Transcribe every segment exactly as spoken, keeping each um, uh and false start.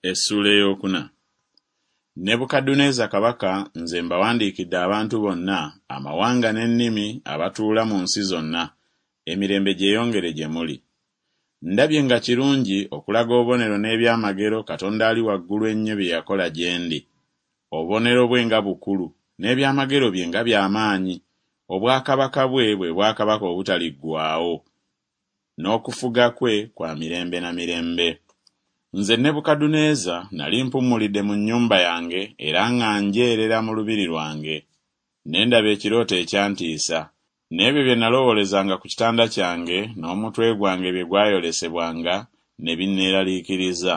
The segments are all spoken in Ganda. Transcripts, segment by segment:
Essuula ey'okuna. Nebukadduneeza kabaka nze mbawandiikidde abantu bonna, amawanga n'ennimi abatuula mu nsi zonna, emirembe gyeyongere gye muli. Ndabye nga kirungi okulaga obubonero n'ebyamagero Katonda Ali Waggulu Ennyo bye yakola gye ndi. Obubonero bwe nga bukulu, n'ebyamagero bye nga bya maanyi! Obwakabaka bwe bwe bwakabaka obutaliggwaawo, n'okufuga kwe kwa mirembe na mirembe. Nze Nebukadduneeza nali mpummulidde mu nnyumba yange era nga njeerera mu lubiri lwange. Ne ndaba ekirooto ekyantiisa, n'ebyo bye nalowoolezanga ku kitanda kyange n'omutwe gwange bye gwayolesebwanga ne binneeraliikiriza.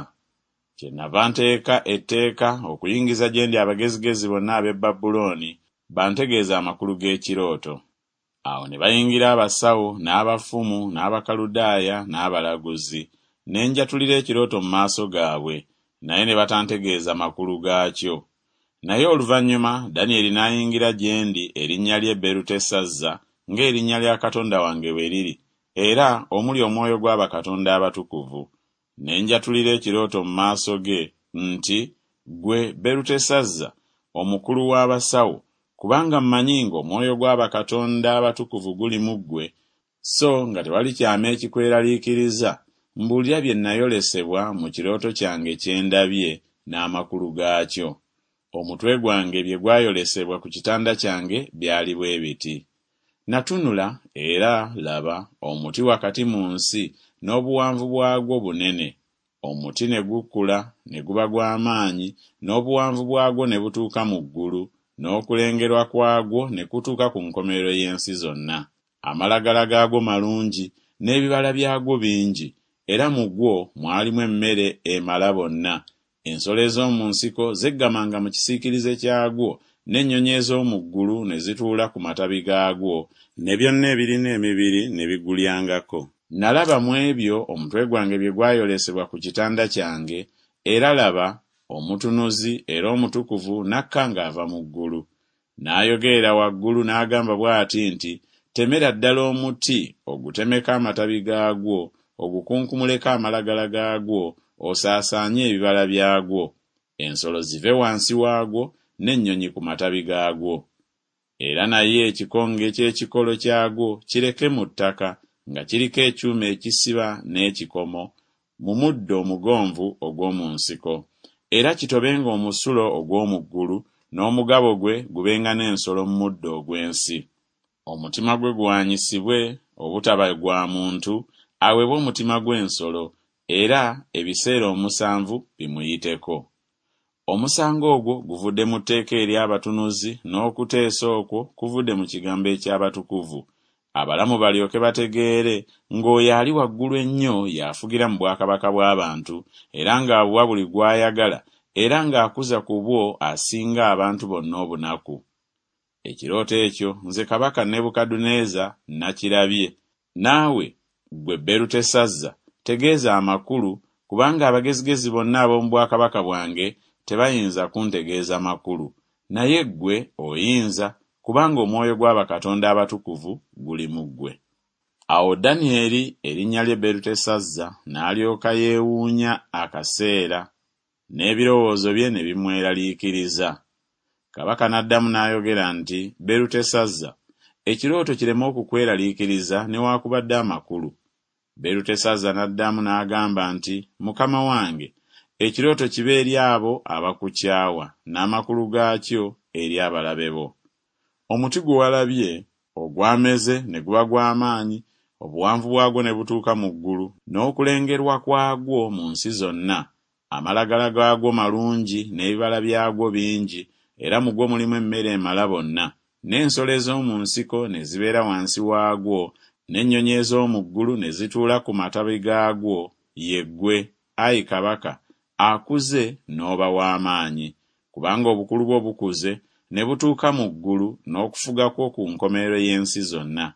Kyennava nteeka etteeka okuyingiza gye ndi abagezigezi bonna ab'e Babulooni bantegeeze amakulu g'ekirooto. Awo ne bayingira abasawo, n'abafumu, n'Abakaludaaya, n'abalaguzi, ne njatulira ekirooto mu maaso gaabwe, naye ne batantegeeza makulu gaakyo. Naye oluvannyuma Danyeri n'ayingira gye ndi erinnya lye Berutesazza ng'erinnya lya katonda wange bwe liri, era omuli omwoyo gwa bakatonda abatukuvu. Ne njatulira ekirooto mu maaso ge nti, Ggwe Berutesazza, omukulu w'abasawo, kubanga mmanyi ng'omwoyo gwa bakatonda abatukuvu guli mu ggwe, so nga tewali kyama ekikweraliikiriza, mbuulira bye nayolesebwa mu kirooto kyange kye ndabye n'amakulu gaakyo. Omutwe gwange bye gwayolesebwa ku kitanda kyange byali bwe biti. Natunula, era, laba, omuti wakati mu nsi, n'obuwanvu bwagwo bunene. Omuti ne gukula, ne guba gwa maanyi, n'obuwanvu bwagwo ne butuuka mu ggulu, n'okulengerwa kwagwo ne kutuuka ku nkomerero y'ensi zonna. Amalagala gaagwo malungi, n'ebibala byagwo bingi, era mu gwo mwalimu emmere emala bonna. Ensolo ez'omu nsiko zeggamanga mu kisiikirize kyagwo, n'ennyonyi ez'omu ggulu ne zituula ku matabi gaagwo, ne byonna ebirina emibiri ne bigulyangako. Nalaba mu ebyo omutwe gwange bye gwayolesebwa ku kitanda kyange, era laba, omutunuzi era omutukuvu n'akka ng'ava mu ggulu. N'ayogerera waggulu n'agamba bw'ati nti, Temera ddala omuti, ogutemeko amatabi gaagwo, ogukunkumuleko amalagala gaagwo, osaasaanye ebibala byagwo. Ensolo zive wansi waagwo, n'ennyonyi ku matabi gaagwo. Era naye ekikonge ky'ekikolo kyagwo kireke mu ttaka, nga kiriko ekyuma ekisiba n'ekikomo, mu muddo omugonvu ogw'omu nsiko. Era kitobenga omusulo ogw'omu ggulu, n'omugabo gwe gubenga n'ensolo mu muddo ogw'ensi. Omutima gwe guwaanyisibwe, obutaba gwa muntu, aweebwe omutima gw'ensolo, era ebiseera omusanvu bimuyiteko. Omusango ogwo guvudde mu tteeka ery'abatunuzi, n'okuteesa okwo kuvudde mu kigambo eky'abatukuvu, abalamu balyoke bategeere ng'oyo Ali Waggulu Ennyo y'afugira mu bwakabaka bw'abantu, era ng'abuwa buli gw'ayagala, era ng'akuza ku bwo asinga abantu bonna obunaku. Ekirooto ekyo nze kabaka Nebukadduneeza nakirabye. Naawe, ggwe Berutesazza, tegeeza amakulu, kubanga abagezigezi bonna ab'omu bwakabaka bwange tebayinza kuntegeeza makulu. Naye ggwe oyinza, kubanga omwoyo gwa bakatonda abatukuvu guli mu ggwe. Awo Danyeri, erinnya lye Berutesazza, n'alyoka yeewuunya akaseera, n'ebirowoozo bye ne bimweraliikiriza. Kabaka n'addamu n'ayogera nti, Berutesazza, ekirooto kireme okukweraliikiriza newaakubadde amakulu. Berutesazza n'addamu n'agamba nti, Mukama wange, ekirooto kibe eri abo abakukyawa, n'amakulu gaakyo eri abalabe bo. Omuti gwe walabye, ogwameze ne guba gwa maanyi, obuwanvu bwagwo ne butuuka mu ggulu, n'okulengerwa kwagwo mu nsi zonna, amalagala gaagwo malungi n'ebibala byagwo bingi, era mu gwo mulimu emmere emala bonna, n'ensolo ez'omu nsiko ne zibeera wansi waagwo, n'ennyonyi ez'omu ggulu ne zituula ku matabi gaagwo, ye ggwe, ayi kabaka, akuze n'oba w'amaanyi, kubanga obukulu bwo bukuze ne butuuka mu ggulu, n'okufuga kwo ku nkomerero y'ensi zonna.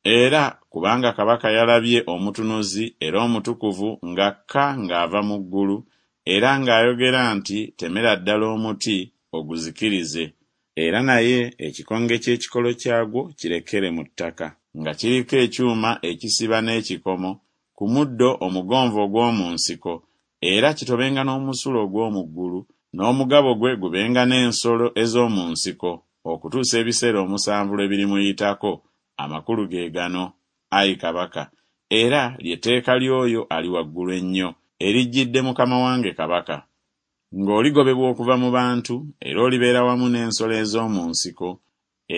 Era kubanga kabaka yalabye omutunuzi era omutukuvu ng'akka ng'ava mu ggulu, era ng'ayogera nti, Temera ddala omuti, oguzikirize, era naye ekikonge ky'ekikolo kyagwo kirekere mu ttaka, nga kiriko ekyuma ekisiba n'ekikomo, ku muddo omugonvu ogw'omu nsiko, Era kitobenga n'omusulo ogw'omu ggulu, n'omugabo gwe gubenga n'ensolo ez'omu nsiko, okutuusa ebiseera omusanvu lwe birimuyitako, amakulu ge gano, ayi kabaka, era lye tteeka ly'oyo Ali waggulu ennyo, erijjidde mukama wange kabaka. Ng'oligobebwa okuva mu bantu, era olibeera wamu n'ensolo ez'omu nsiko,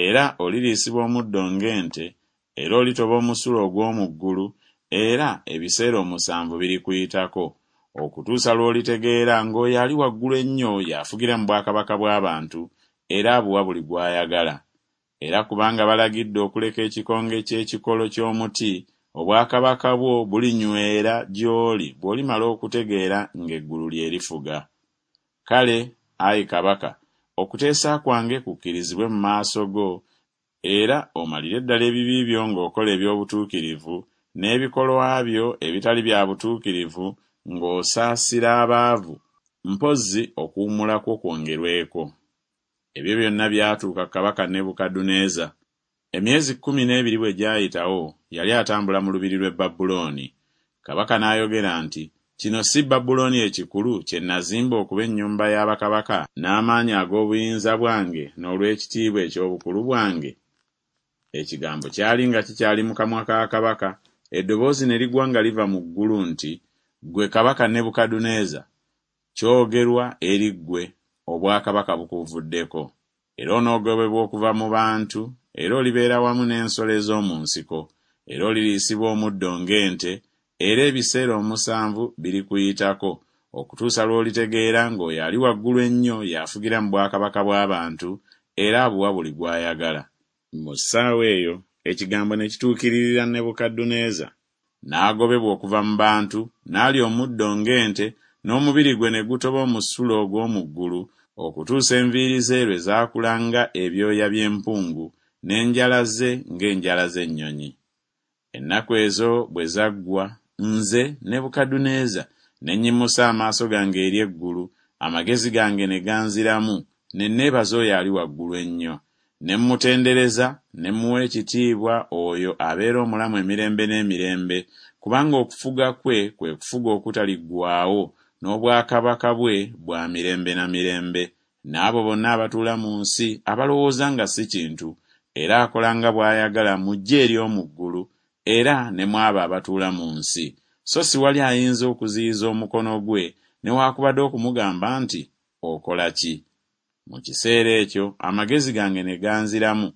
era oliriisibwa omuddo ng'ente, era olitoba omusulo ogw'omu ggulu, era ebiseera omusanvu birikuyitako, okutuusa lw'olitegeera ng'oyo Ali waggulu ennyo y'afugira mu bwakabaka bw'abantu, era abuwa buli gw'ayagala. Era kubanga balagidde okuleka ekikonge ky'ekikolo ky'omuti, obwakabaka bwo bulinywera gy'oli bw'olimala okutegeera ng'eggulu lye lifuga. Kale, ayi kabaka, okuteesa kwange kukkirizibwe mu maaso go, era omalire ddala ebibi byo ng'okola eby'obutuukirivu, n'ebikolwa byo ebitali bya butuukirivu ng'osaasira abaavu, mpozzi okuwummula kwo kwongerweko. Ebyo byonna byatuuka ku kabaka Nebukadduneeza. Emyezi kkumi n'ebiri bwe gyayitawo, yali atambula mu lubiri lw'e Babulooni. Kabaka n'ayogera nti, Kino si Babulooni ekikulu kye nazimba okuba ennyumba ya bakabaka n'amaanyi ag'obuyinza bwange n'olw'ekitiibwa eky'obukulu bwange? Ekigambo kyali nga kikyali mu kamwa ka kabaka, eddoboozi ne ligwa nga liva mu ggulu nti, Ggwe kabaka Nebukadduneeza, kyogerwa eri ggwe, obwakabaka bukuvuddeko. Era onoogobebwa okuva mu bantu, era olibeera wamu n'ensolo ez'omu nsiko, era oliriisibwa omuddo ng'ente, era ebiseera omusanvu birikuyitako, okutuusa lw'olitegeera ng'oyo Ali waggulu ennyo y'afugira mu bwakabaka bw'abantu, era abuwa buli gw'ayagala. Mu ssaawa eyo ekigambo ne kituukiririra Nebukadduneeza. N'agobebwa okuva mu bantu, n'alya omuddo ng'ente, n'omubiri gwe ne gutoba omusulo ogw'omu ggulu, okutuusa enviiri ze lwe zaakula nga ebyoya by'empungu, n'enjala ze ng'enjala z'ennyonyi. Ennaku ezo bwe zaggwa, nze, Nebukadduneeza, ne nnyimusa amaaso gange eri eggulu, amagezi gange ne ganziramu, ne neebaza oyo Ali waggulu ennyo. Ne mmutendereza, ne mmuwa ekitiibwa oyo abeera omulamu emirembe n'emirembe, kubanga okufuga kwe kwe kufuga okutaliggwaawo, n'obwakabaka bwe bwa mirembe na mirembe. N'abo bonna abatuula mu nsi abalowooza nga si kintu, era akola nga bw'ayagala mu ggye ery'omu ggulu era ne mu abo abatuula mu nsi, so siwali ayinza okuziyiza omukono gwe newakubadde okumugamba nti Okola ki? Mu kiseera ekyo amagezi gange ne ganziramu,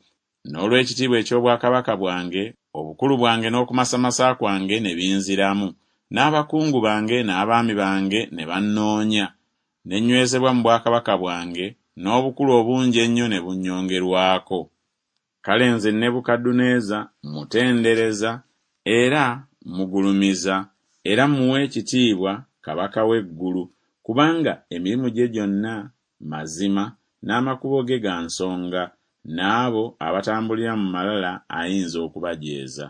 n'olw'ekitiibwa eky'obwakabaka bwange, obukulu bwange n'okumasamasa kwange ne binziramu, n'abakungu bange n'abaami bange ne bannoonya, ne nnywezebwa mu bwakabaka bwange, n'obukulu obungi ennyo ne bunnyongerwako. Kale nze Nebukadduneeza mmutendereza era mmugulumiza era mmuwa ekitiibwa Kabaka w'eggulu, kubanga emirimu gye gyonna mazima n'amakubo ge ga nsonga, n'abo abatambulira mu malala ayinza okubajeeza.